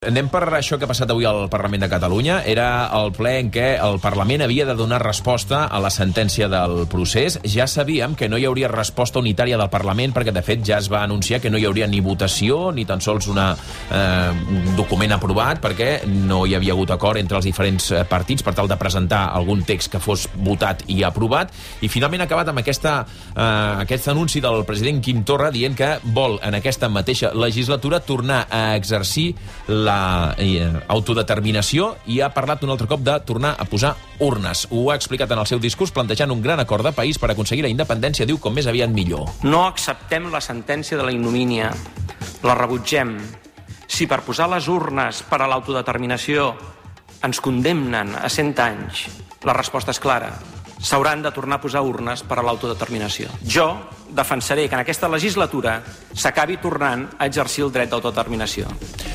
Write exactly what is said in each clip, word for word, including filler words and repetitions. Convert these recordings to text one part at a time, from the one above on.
Anem per això que ha passat avui al Parlament de Catalunya. Era el ple en què el Parlament havia de donar resposta a la sentència del procés. Ja sabíem que no hi hauria resposta unitària del Parlament perquè, de fet, ja es va anunciar que no hi hauria ni votació ni tan sols una, eh, un document aprovat perquè no hi havia hagut acord entre els diferents partits per tal de presentar algun text que fos votat i aprovat. I finalment ha acabat amb aquesta, eh, aquest anunci del president Quim Torra dient que vol, en aquesta mateixa legislatura, tornar a exercir la la eh, autodeterminació i ha parlat un altre cop de tornar a posar urnes. Ho ha explicat en el seu discurs plantejant un gran acord de país per aconseguir la independència, diu, com més aviat millor. No acceptem la sentència de la ignomínia, la rebutgem. Si per posar les urnes per a l'autodeterminació ens condemnen a cent anys, la resposta és clara. S'hauran de tornar a posar urnes per a l'autodeterminació. Jo defensaré que en aquesta legislatura s'acabi tornant a exercir el dret d'autodeterminació.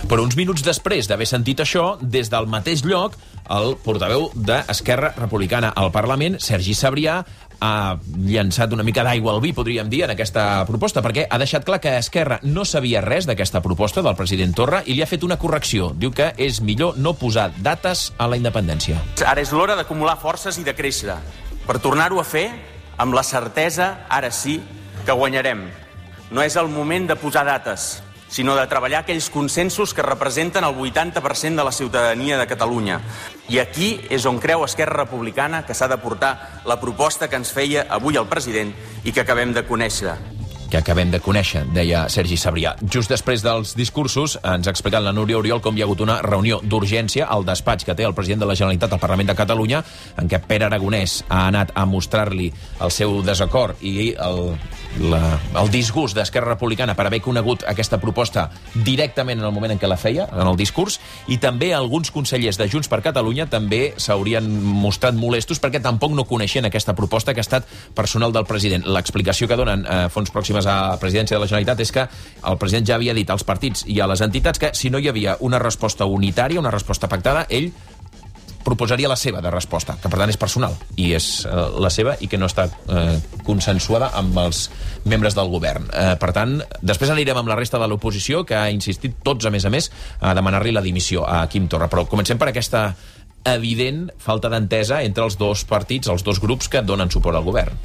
Però uns minuts després d'haver sentit això, des del mateix lloc, el portaveu d'Esquerra Republicana al Parlament, Sergi Sabrià, ha llançat una mica d'aigua al vi, podríem dir, en aquesta proposta, perquè ha deixat clar que Esquerra no sabia res d'aquesta proposta del president Torra i li ha fet una correcció. Diu que és millor no posar dates a la independència. Ara és l'hora d'acumular forces i de créixer, per tornar-ho a fer amb la certesa, ara sí, que guanyarem. No és el moment de posar dates, sinó de treballar aquells consensos que representen el vuitanta per cent de la ciutadania de Catalunya. I aquí és on creu Esquerra Republicana que s'ha de portar la proposta que ens feia avui el president i que acabem de conèixer. que acabem de conèixer, deia Sergi Sabrià. Just després dels discursos ens ha explicat la Núria Oriol com hi ha hagut una reunió d'urgència al despatx que té el president de la Generalitat al Parlament de Catalunya, en què Pere Aragonès ha anat a mostrar-li el seu desacord i el, la, el disgust d'Esquerra Republicana per haver conegut aquesta proposta directament en el moment en què la feia, en el discurs, i també alguns consellers de Junts per Catalunya també s'haurien mostrat molestos perquè tampoc no coneixien aquesta proposta que ha estat personal del president. L'explicació que donen a Fons Pròximes a la presidència de la Generalitat és que el president ja havia dit als partits i a les entitats que si no hi havia una resposta unitària, una resposta pactada, ell proposaria la seva de resposta, que per tant és personal i és eh, la seva i que no està eh, consensuada amb els membres del govern. Eh, per tant, després anirem amb la resta de l'oposició, que ha insistit tots, a més a més, a demanar-li la dimissió a Quim Torra. Però comencem per aquesta evident falta d'entesa entre els dos partits, els dos grups que donen suport al govern.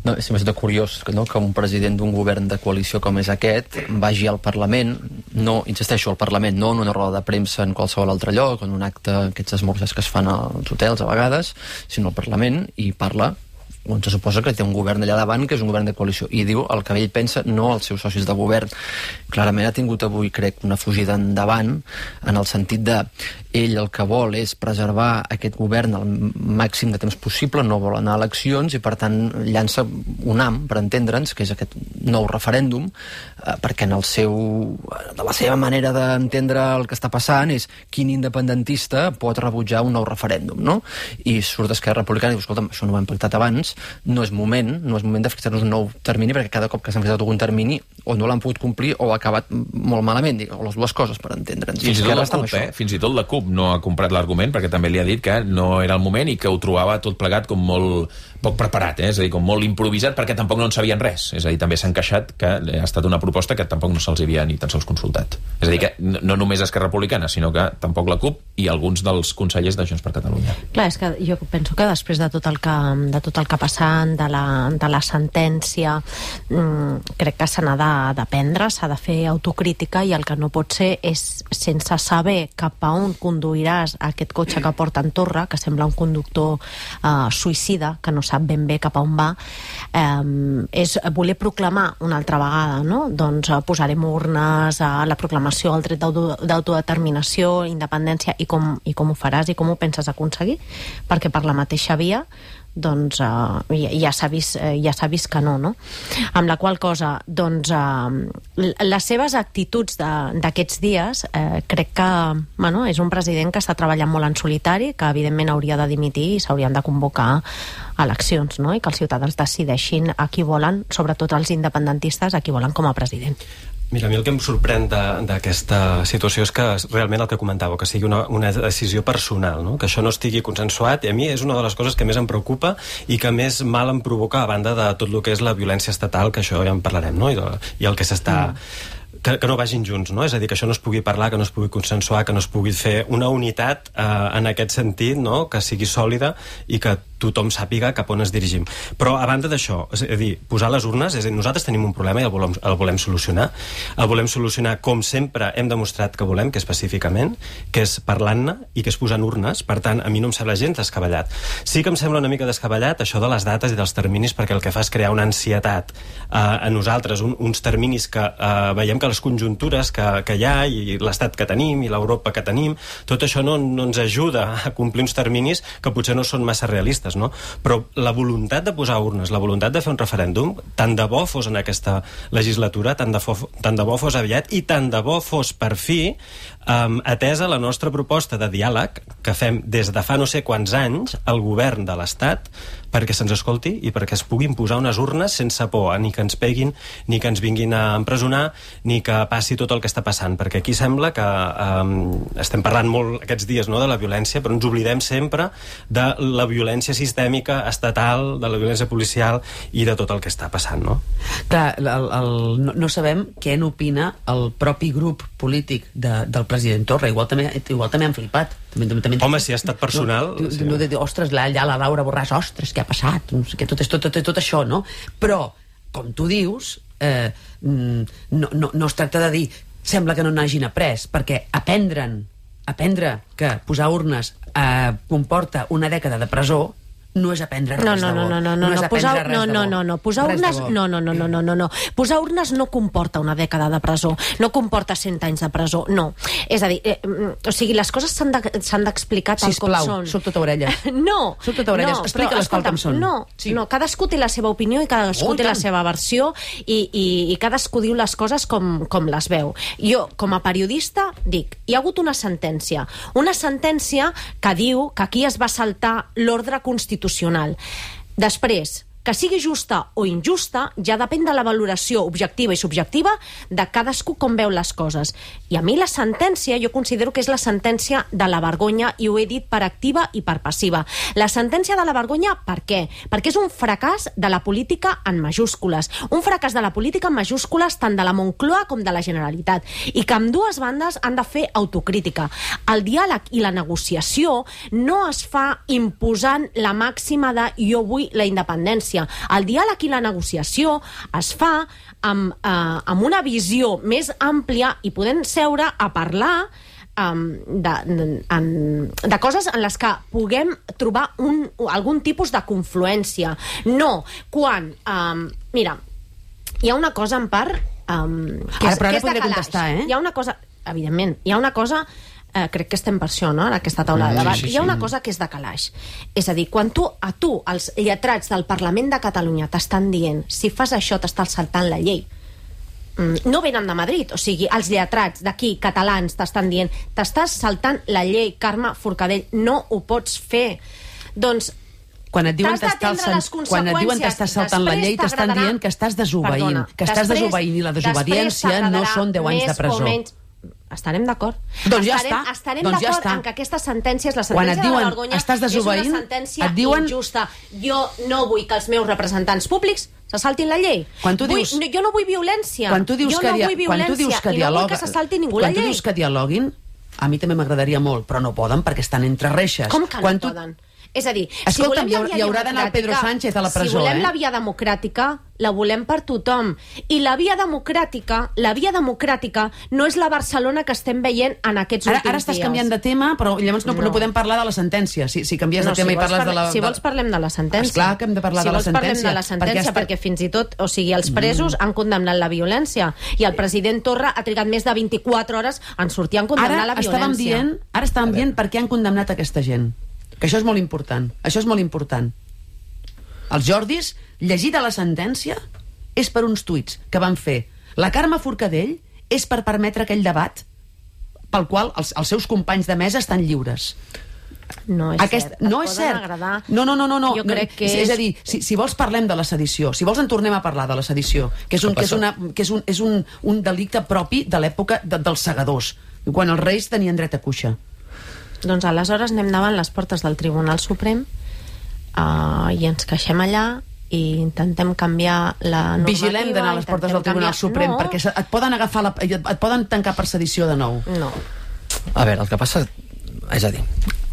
No, és sempre curiós no, que un president d'un govern de coalició com és aquest vagi al Parlament, no, insisteixo, al Parlament, no en una roda de premsa en qualsevol altre lloc, en un acte, aquests esmorzars que es fan als hotels a vegades, sinó al Parlament, i parla on se suposa que té un govern allà davant que és un govern de coalició, i diu el que ell pensa, no els seus socis de govern. Clarament ha tingut avui, crec, una fugida endavant en el sentit de ell el que vol és preservar aquest govern el màxim de temps possible, no vol anar a eleccions i per tant llança un ham, per entendre'ns, que és aquest nou referèndum, eh, perquè en el seu, de la seva manera d'entendre el que està passant és quin independentista pot rebutjar un nou referèndum, no? I surt d'Esquerra Republicana i diu, escolta'm, això no ho hem pactat abans, no és moment, no és moment de fixar-nos un nou termini, perquè cada cop que s'han fixat algun termini o no l'han pogut complir o ha acabat molt malament, o les dues coses, per entendre'ns. Fins i tot la CUP, eh? Fins i tot la CUP no ha comprat l'argument, perquè també li ha dit que no era el moment i que ho trobava tot plegat com molt poc preparat, eh? És a dir, com molt improvisat, perquè tampoc no en sabien res. És a dir, també s'han queixat que ha estat una proposta que tampoc no se'ls havia ni tan sols consultat. És a dir, que no només Esquerra Republicana, sinó que tampoc la CUP i alguns dels consellers de Junts per Catalunya. Clar, és que jo penso que després de tot el que, de tot el que ha passat, de la, de la sentència, mmm, crec que se n'ha d'aprendre, s'ha de fer autocrítica, i el que no pot ser és, sense saber cap a on conduiràs aquest cotxe que porta en Torra, que sembla un conductor eh, suïcida, que no sap ben bé cap a on va, eh, és voler proclamar una altra vegada, no? Doncs eh, posarem urnes a la proclamació del dret d'autodeterminació, independència, i com, i com ho faràs i com ho penses aconseguir, perquè per la mateixa via doncs uh, ja, ja s'ha vist, uh, ja s'ha vist que no, no? Amb la qual cosa, doncs, uh, les seves actituds d'aquests dies, uh, crec que, bueno, és un president que està treballant molt en solitari, que evidentment hauria de dimitir i s'haurien de convocar eleccions, no? I que els ciutadans decideixin a qui volen, sobretot els independentistes, a qui volen com a president. Mira, a mi el que em sorprèn d'aquesta situació és que realment el que comentàveu, que sigui una, una decisió personal, no? Que això no estigui consensuat, i a mi és una de les coses que més em preocupa i que més mal em provoca, a banda de tot el que és la violència estatal, que això ja en parlarem, no? I, de, i el que s'està... Mm. que, que no vagin junts, no? És a dir, que això no es pugui parlar, que no es pugui consensuar, que no es pugui fer una unitat eh, en aquest sentit, no? Que sigui sòlida i que tothom sàpiga cap on es dirigim. Però a banda d'això, és a dir, posar les urnes, és a dir, nosaltres tenim un problema i el volem, el volem solucionar. El volem solucionar com sempre hem demostrat que volem, que és pacíficament, que és parlant-ne i que és posant urnes. Per tant, a mi no em sembla gens descabellat. Sí que em sembla una mica descabellat això de les dates i dels terminis, perquè el que fa és crear una ansietat eh, a nosaltres, un, uns terminis que eh, veiem que les conjuntures que, que hi ha i l'estat que tenim i l'Europa que tenim, tot això no, no ens ajuda a complir uns terminis que potser no són massa realistes, no? Però la voluntat de posar urnes, la voluntat de fer un referèndum, tant de bo fos en aquesta legislatura, tant de, fo, tant de bo fos aviat i tant de bo fos per fi um, atesa la nostra proposta de diàleg que fem des de fa no sé quants anys al govern de l'Estat perquè se'ns escolti i perquè es puguin posar unes urnes sense por, ni que ens peguin, ni que ens vinguin a empresonar, ni que passi tot el que està passant, perquè aquí sembla que um, estem parlant molt aquests dies, no?, de la violència, però ens oblidem sempre de la violència sistèmica, estatal, de la violència policial i de tot el que està passant, no? Clar, el, el, no, no sabem què n'opina el propi grup polític de, del president Torra. Igual també, igual també han flipat. També, també, Home, si ha estat personal... No, sí. no, de, de, ostres, la, ja la Laura Borràs, ostres, què ha passat? No sé què, tot, tot, tot, tot això, no? Però, com tu dius, eh, no, no, no es tracta de dir sembla que no n'hagin après, perquè aprendre'n, aprendre que posar urnes eh, comporta una dècada de presó no és aprendre res no, no, de bo. No, no, no, no, no és no, posar, aprendre res no, de no, bo. no, no, posar Res urnes, de bo. no, no, no, no, no, no, no. Posar urnes no comporta una dècada de presó, no comporta cent anys de presó, no. És a dir, eh, o sigui, les coses s'han d'explicar de, tal Sisplau, com són. soc tota orelles. No, soc tota orelles, no, explica-les tal com són. No, sí. no, cadascú té la seva opinió i cadascú oh, té la seva versió i, i, i cadascú diu les coses com, com les veu. Jo, com a periodista, dic, hi ha hagut una sentència, una sentència que diu que aquí es va saltar l'ordre constitucional. Després, que sigui justa o injusta ja depèn de la valoració objectiva i subjectiva de cadascú com veu les coses. I a mi la sentència, jo considero que és la sentència de la vergonya, i ho he dit per activa i per passiva. La sentència de la vergonya, per què? Perquè és un fracàs de la política en majúscules. Un fracàs de la política en majúscules tant de la Moncloa com de la Generalitat. I que ambdues bandes han de fer autocrítica. El diàleg i la negociació no es fa imposant la màxima de jo vull la independència. El diàleg i la negociació es fa amb, eh, amb una visió més àmplia i podem seure a parlar um, de, de, de coses en les que puguem trobar un, algun tipus de confluència. No, quan... Um, mira, hi ha una cosa en part um, que és, ara, però ara que és de podré calaix. contestar, eh? Hi ha una cosa, evidentment, hi ha una cosa... Eh, crec que estem per això, no?, en aquesta taula de debat. Sí, sí, sí. Hi ha una cosa que és de calaix. És a dir, quan tu, a tu, els lletrats del Parlament de Catalunya t'estan dient si fas això t'estàs saltant la llei, mm, no venen de Madrid, o sigui, els lletrats d'aquí, catalans, t'estan dient t'estàs saltant la llei, Carme Forcadell, no ho pots fer. Doncs quan et diuen t'has d'atendre les quan et diuen t'estàs saltant la llei, t'estan dient que estàs desobeint, Perdona, que estàs després- desobeint, i la desobediència després no són deu anys de més o presó. menys. Estarem d'acord. Doncs ja estarem, està. Estarem Doncs ja d'acord està. en que aquesta sentència és la Quan et sentència diuen, de la vergonya, estàs desobeint, és una sentència et diuen- injusta. Jo no vull que els meus representants públics se saltin la llei. Quan tu dius- vull, no, jo no vull violència. Quan tu dius jo que, no dia, vull quan tu violència dius que i no vull dialoga, que se salti ningú quan la tu llei. dius que dialoguin, a mi també m'agradaria molt, però no poden perquè estan entre reixes. Com que quan no tu... poden? És a dir, Escolta'm, si volem hi la haurà- via hi haurà d'anar el Pedro democràtica- Sánchez a la presó, si volem eh? la via democràtica, la volem per tothom. I la via democràtica, la via democràtica no és la Barcelona que estem veient en aquests Ara, últims ara estàs dies. canviant de tema, però llavors no, no. No. no podem parlar de la sentència. Si, si canvies No, de tema si i vols parles parla- de la... Si de- vols parlem de la sentència. Esclar que hem de parlar si de la vols parlem sentència. de la sentència, perquè, perquè fins i tot, o sigui, els presos mm. han condemnat la violència i el president Torra ha trigat més de vint-i-quatre hores en sortir a condemnar ara la violència. estàvem dient, ara estàvem dient per què han condemnat aquesta gent. Que això és molt important. Això és molt important. Els Jordis, llegida la sentència, és per uns tuits que van fer. La Carme Forcadell és per permetre aquell debat pel qual els, els seus companys de mesa estan lliures. No és Aquest, cert. no Et és poden cert. agradar. No, no, no, no, no. Jo crec que és, és... és a dir, si, si vols parlem de la sedició, si vols en tornem a parlar de la sedició, que és un, que és una, que és un, és un, un delicte propi de l'època de, dels segadors, quan els reis tenien dret a cuixa. Doncs aleshores anem davant les portes del Tribunal Suprem uh, i ens queixem allà i intentem canviar la normativa... Vigilem d'anar a les portes del Tribunal Suprem, no. perquè et poden agafar la, et poden tancar per sedició de nou. No. A veure, el que passa... És a dir,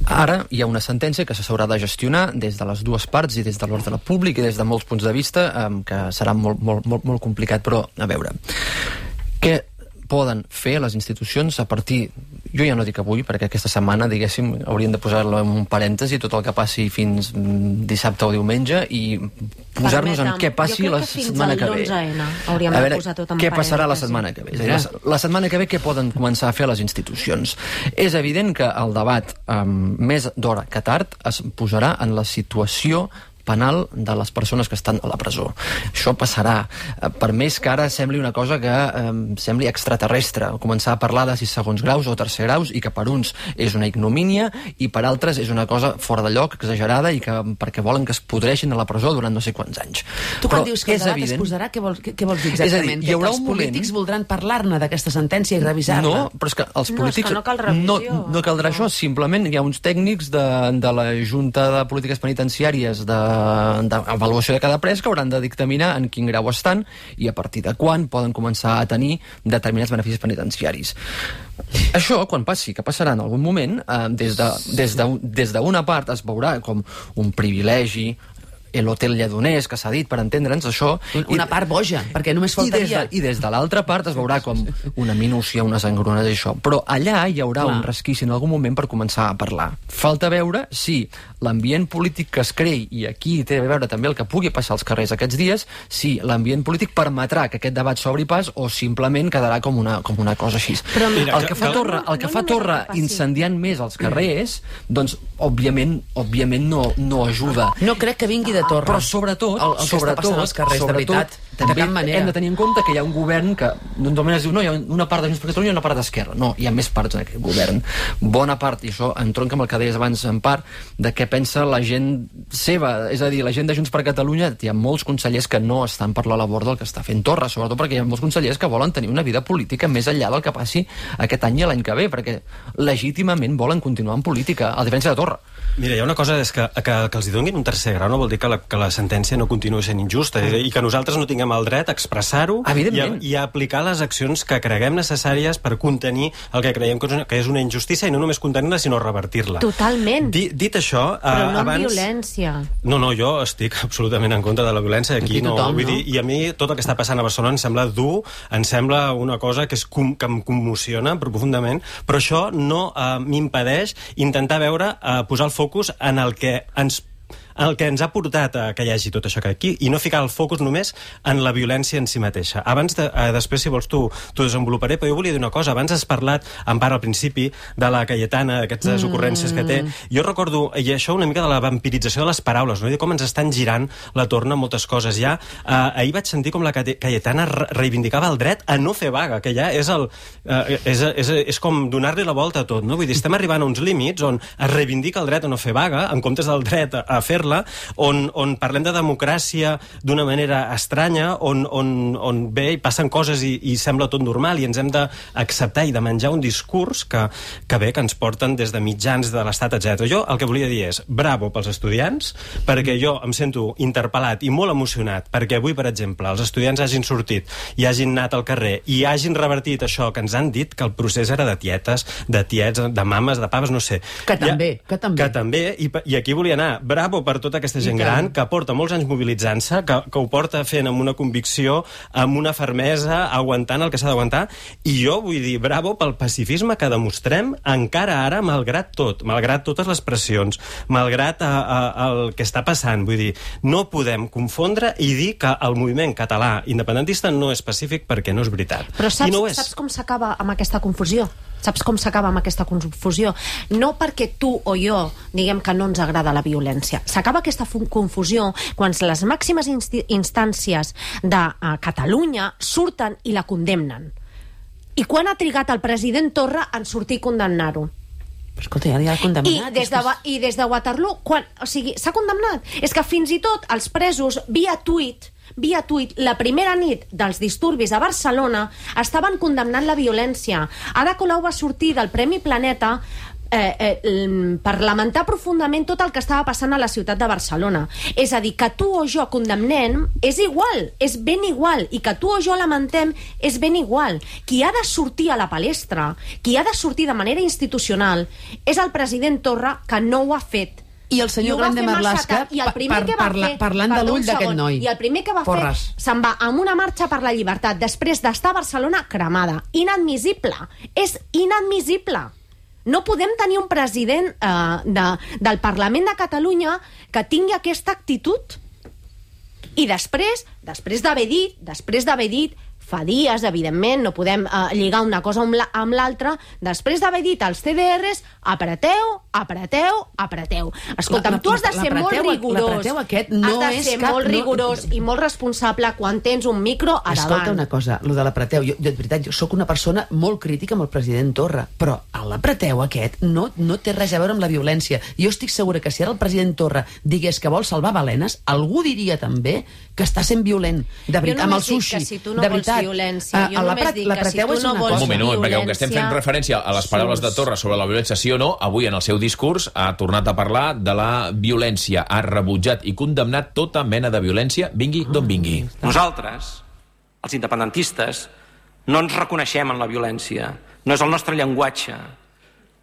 ara hi ha una sentència que s'haurà de gestionar des de les dues parts i des de l'ordre públic i des de molts punts de vista, eh, que serà molt, molt, molt, molt complicat, però a veure, què poden fer les institucions a partir... Jo ja no dic avui, perquè aquesta setmana, diguéssim, haurien de posar-lo en un parèntesi tot el que passi fins dissabte o diumenge i posar-nos en què passi la setmana que ve. Hauríem a veure, de posar tot en què passarà la parèntesi. setmana que ve? És a dir, la, la setmana que ve què poden començar a fer les institucions? És evident que el debat, um, més d'hora que tard, es posarà en la situació penal de les persones que estan a la presó. Això passarà. Per més que ara sembli una cosa que eh, sembli extraterrestre, començar a parlar de sis segons graus o tercer graus i que per uns és una ignomínia i per altres és una cosa fora de lloc, exagerada i que perquè volen que es podreixin a la presó durant no sé quants anys. Tu quan Però dius que el debat evident... es posarà, què vols, què, què vols dir exactament? Dir, hi haurà que els un polítics moment... voldran parlar-ne d'aquesta sentència i revisar-la? No, però és que els polítics... No, és que no cal revisió. No, no caldrà no. això, simplement hi ha uns tècnics de, de la Junta de Polítiques Penitenciàries de, de avaluació de cada pres que hauran de dictaminar en quin grau estan i a partir de quan poden començar a tenir determinats beneficis penitenciaris. Això, quan passi, que passarà en algun moment, eh, des de, des de, des d'una part es veurà com un privilegi, l'hotel lledoners, que s'ha dit, per entendre'ns, això... Una part boja, perquè només faltaria... I des de, i des de l'altra part es veurà com una minúcia, unes engrunes i això. Però allà hi haurà Clar. un resquici en algun moment per començar a parlar. Falta veure si l'ambient polític que es creï, i aquí té a veure també el que pugui passar als carrers aquests dies, si l'ambient polític permetrà que aquest debat s'obri pas o simplement quedarà com una, com una cosa així. Però mira, el que fa Torra, el que fa Torra incendiant més els carrers, doncs, òbviament, òbviament no, no ajuda. No crec que vingui de Torra. Però sobretot, el, el sobretot, als carrers, sobretot, de veritat, també de cap manera. Hem de tenir en compte que hi ha un govern que només es diu, no, hi ha una part de Junts per Catalunya i una part d'Esquerra. No, hi ha més parts en aquest govern. Bona part, i això entronca amb el que deies abans en part, de què pensa la gent seva. És a dir, la gent de Junts per Catalunya, hi ha molts consellers que no estan per la labor del que està fent Torra, sobretot perquè hi ha molts consellers que volen tenir una vida política més enllà del que passi aquest any i l'any que ve, perquè legítimament volen continuar en política, a diferència de Torra. Mira, hi ha una cosa, és que, que, que els hi donin un tercer grau no vol dir que la, que la sentència no continuï sent injusta mm. i que nosaltres no tinguem el dret a expressar-ho i, i a aplicar les accions que creguem necessàries per contenir el que creiem que és una, que és una injustícia i no només contenir-la, sinó revertir-la. Totalment. Di, dit això... Però no abans... amb violència. No, no, jo estic absolutament en contra de la violència. Aquí, aquí tothom, no, vull no? dir, i a mi tot el que està passant a Barcelona em sembla dur, em sembla una cosa que, és com, que em commociona profundament, però això no eh, m'impedeix intentar veure, eh, posar el focus en el que ens el que ens ha portat a que hi hagi tot això que aquí i no ficar el focus només en la violència en si mateixa. Abans, de, eh, després, si vols, tu t'ho desenvoluparé, però jo volia dir una cosa. Abans has parlat, en part al principi, de la Cayetana, d'aquestes mm. ocurrències que té. Jo recordo, i això una mica de la vampirització de les paraules, no? I de com ens estan girant la torna moltes coses. Ja, eh, ahir vaig sentir com la Cayetana reivindicava el dret a no fer vaga, que ja és, el, eh, és, és, és com donar-li la volta a tot, no? Vull dir, estem arribant a uns límits on es reivindica el dret a no fer vaga, en comptes del dret a, a fer-la, On, on parlem de democràcia d'una manera estranya, on, on, on bé, passen coses i, i sembla tot normal i ens hem d'acceptar i de menjar un discurs que, que bé, que ens porten des de mitjans de l'Estat, etcètera. Jo el que volia dir és bravo pels estudiants, perquè jo em sento interpel·lat i molt emocionat perquè avui, per exemple, els estudiants hagin sortit i hagin anat al carrer i hagin revertit això que ens han dit, que el procés era de tietes, de tiets, de mames, de paves, no sé. Que també, ja, que també. Que també, i, i aquí volia anar. Bravo per tota aquesta gent gran que porta molts anys mobilitzant-se, que, que ho porta fent amb una convicció, amb una fermesa, aguantant el que s'ha d'aguantar, i jo vull dir bravo pel pacifisme que demostrem encara ara, malgrat tot, malgrat totes les pressions, malgrat a, a, el que està passant. Vull dir, no podem confondre i dir que el moviment català independentista no és pacífic perquè no és veritat. Però saps, I no és. saps com s'acaba amb aquesta confusió? Saps com s'acaba amb aquesta confusió? No perquè tu o jo diguem que no ens agrada la violència. S'acaba aquesta confusió quan les màximes instàncies de uh, Catalunya surten i la condemnen. I quan ha trigat el president Torra en sortir i condemnar-ho? Però escolta, ja l'ha condemnat. I des, de, I des de Waterloo, quan, o sigui, s'ha condemnat. És que fins i tot els presos, via tuit, via tuit, la primera nit dels disturbis a Barcelona estaven condemnant la violència. Ada Colau va sortir del Premi Planeta eh, eh, per lamentar profundament tot el que estava passant a la ciutat de Barcelona. És a dir, que tu o jo condemnem és igual, és ben igual, i que tu o jo lamentem és ben igual. Qui ha de sortir a la palestra, qui ha de sortir de manera institucional, és el president Torra, que no ho ha fet. I el senyor Grande Marlaska parlant de l'ull d'aquest noi. I el primer que va Porres. fer, se'n va amb una marxa per la llibertat després d'estar a Barcelona cremada. Inadmissible. És inadmissible. No podem tenir un president eh, de, del Parlament de Catalunya que tingui aquesta actitud. I després, després d'haver dit, després d'haver dit, fa dies, evidentment, no podem eh, lligar una cosa amb l'altra, després d'haver dit als C D Rs, apreteu, apreteu, apreteu. Escolta'm, tu has de ser molt rigorós, has de ser molt rigorós i molt responsable quan tens un micro a davant. Escolta una cosa, lo de l'apreteu, jo, de veritat, jo sóc una persona molt crítica amb el president Torra, però l'apreteu aquest no, no té res a veure amb la violència. Jo estic segura que si ara el president Torra digués que vol salvar balenes, algú diria també que està sent violent, de veritat, amb el sushi, si tu no de veritat. Violència. Jo només dic que si tu no vols Un moment, violència... perquè com que estem fent referència a les paraules de Torra sobre la violència sí o no, avui en el seu discurs ha tornat a parlar de la violència, ha rebutjat i condemnat tota mena de violència, vingui d'on vingui. Nosaltres, els independentistes, no ens reconeixem en la violència, no és el nostre llenguatge.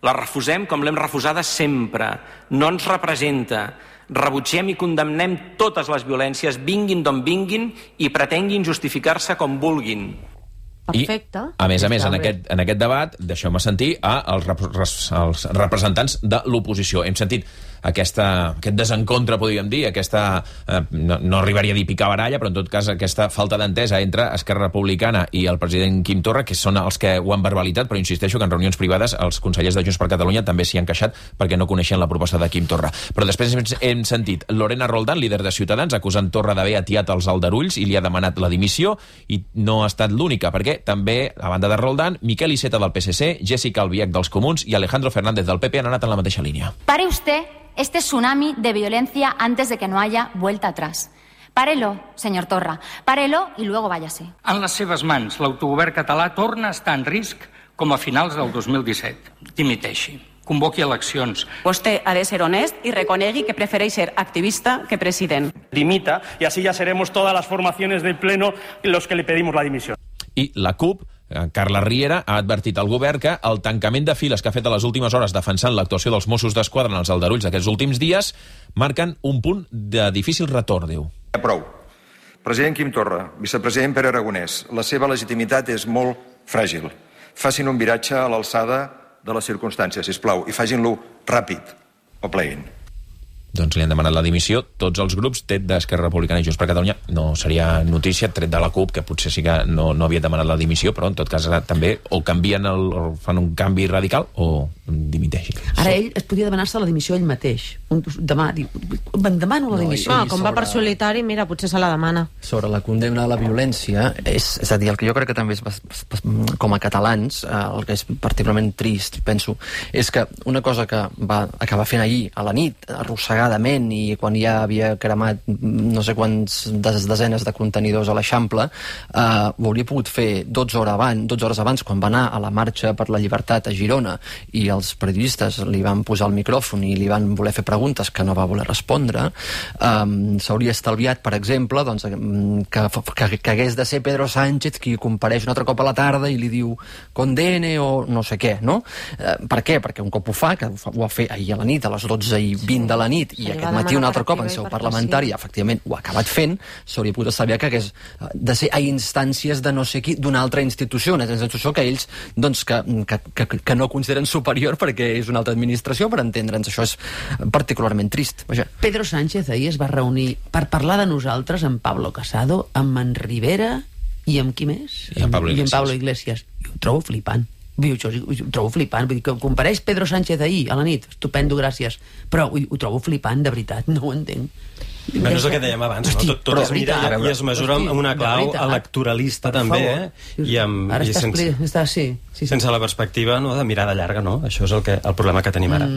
La refusem com l'hem refusada sempre, no ens representa. Rebutgem i condemnem totes les violències, vinguin d'on vinguin i pretenguin justificar-se com vulguin. Perfecte. I, a més a més, en aquest, en aquest debat, deixeu-me sentir a els, rep els representants de l'oposició. Hem sentit aquesta, aquest desencontre, podríem dir, aquesta, eh, no, no arribaria a dir picabaralla, però en tot cas aquesta falta d'entesa entre Esquerra Republicana i el president Quim Torra, que són els que ho han verbalitat, però insisteixo que en reunions privades els consellers de Junts per Catalunya també s'hi han queixat perquè no coneixen la proposta de Quim Torra. Però després hem sentit Lorena Roldán, líder de Ciutadans, acusant Torra d'haver atiat els aldarulls i li ha demanat la dimissió, i no ha estat l'única, perquè també, a banda de Roldán, Miquel Iceta del P S C, Jessica Albiach dels Comuns i Alejandro Fernández del P P han anat en la mateixa línia. Pare usted este tsunami de violencia antes de que no haya vuelta atrás. Párelo, señor Torra, párelo y luego váyase. En les seves mans, l'autogovern català torna a estar en risc com a finals del dos mil disset. Dimiteixi. Convoqui eleccions. Vostè ha de ser honest y reconegui que prefereix ser activista que president. Dimita y así ya seremos todas las formaciones del Pleno los que le pedimos la dimisión. I la CUP, Carla Riera, ha advertit al govern que el tancament de files que ha fet a les últimes hores defensant l'actuació dels Mossos d'Esquadra en els aldarulls d'aquests últims dies marquen un punt de difícil retorn, diu. Prou. President Quim Torra, vicepresident Pere Aragonès, la seva legitimitat és molt fràgil. Facin un viratge a l'alçada de les circumstàncies, sisplau, i facin-lo ràpid o pleguin. Doncs li han demanat la dimissió tots els grups, tret d'Esquerra Republicana i Junts per Catalunya. No seria notícia, tret de la CUP, que potser sí que no, no havia demanat la dimissió, però en tot cas també o canvien el, o fan un canvi radical o dimiteixi. Ara ell es podia demanar-se la dimissió ell mateix. Un, demà, diu, me'n demano la dimissió. No, com va per solitari, mira, potser se la demana. Sobre la condemna a la violència, és, és a dir, el que jo crec que també és, com a catalans, el que és particularment trist, penso, és que una cosa que va acabar fent ahir a la nit, arrossegadament, i quan ja havia cremat no sé quants desenes de contenidors a l'Eixample, eh, ho hauria pogut fer dotze hores abans, dotze hores abans, quan va anar a la marxa per la llibertat a Girona i els periodistes li van posar el micròfon i li van voler fer preguntes que no va voler respondre. Um, s'hauria estalviat, per exemple, doncs, que, que, que hagués de ser Pedro Sánchez qui compareix un altre cop a la tarda i li diu condene o no sé què, no? Uh, per què? Perquè un cop ho fa, que ho va fer ahir a la nit, a les dotze i vint de la nit, i aquest matí un altre cop en seu parlamentari, efectivament ho ha acabat fent, s'hauria pogut estalviar que hagués de ser a instàncies de no sé qui, d'una altra institució, una institució que ells, doncs, que, que, que, que no consideren superior perquè és una altra administració, per entendre'ns. Això és particularment trist. Vaja. Pedro Sánchez ahir es va reunir per parlar de nosaltres amb Pablo Casado, amb en Rivera i amb qui més? I amb Pablo Iglesias. I amb Pablo Iglesias. I ho trobo flipant. Vull dir, ho trobo flipant. Vull dir, que compareix Pedro Sánchez ahir a la nit. Estupendo, gràcies. Però ho, ho trobo flipant, de veritat. No ho entenc. Bueno, és el que dèiem abans, Hosti, no? Tot, tot es mira i es mesura amb una clau electoralista també, eh? I amb, ara i està, sense, està, sí, sí, sí. sense la perspectiva, no, de mirada llarga, no? Això és el, que, el problema que tenim ara. Mm.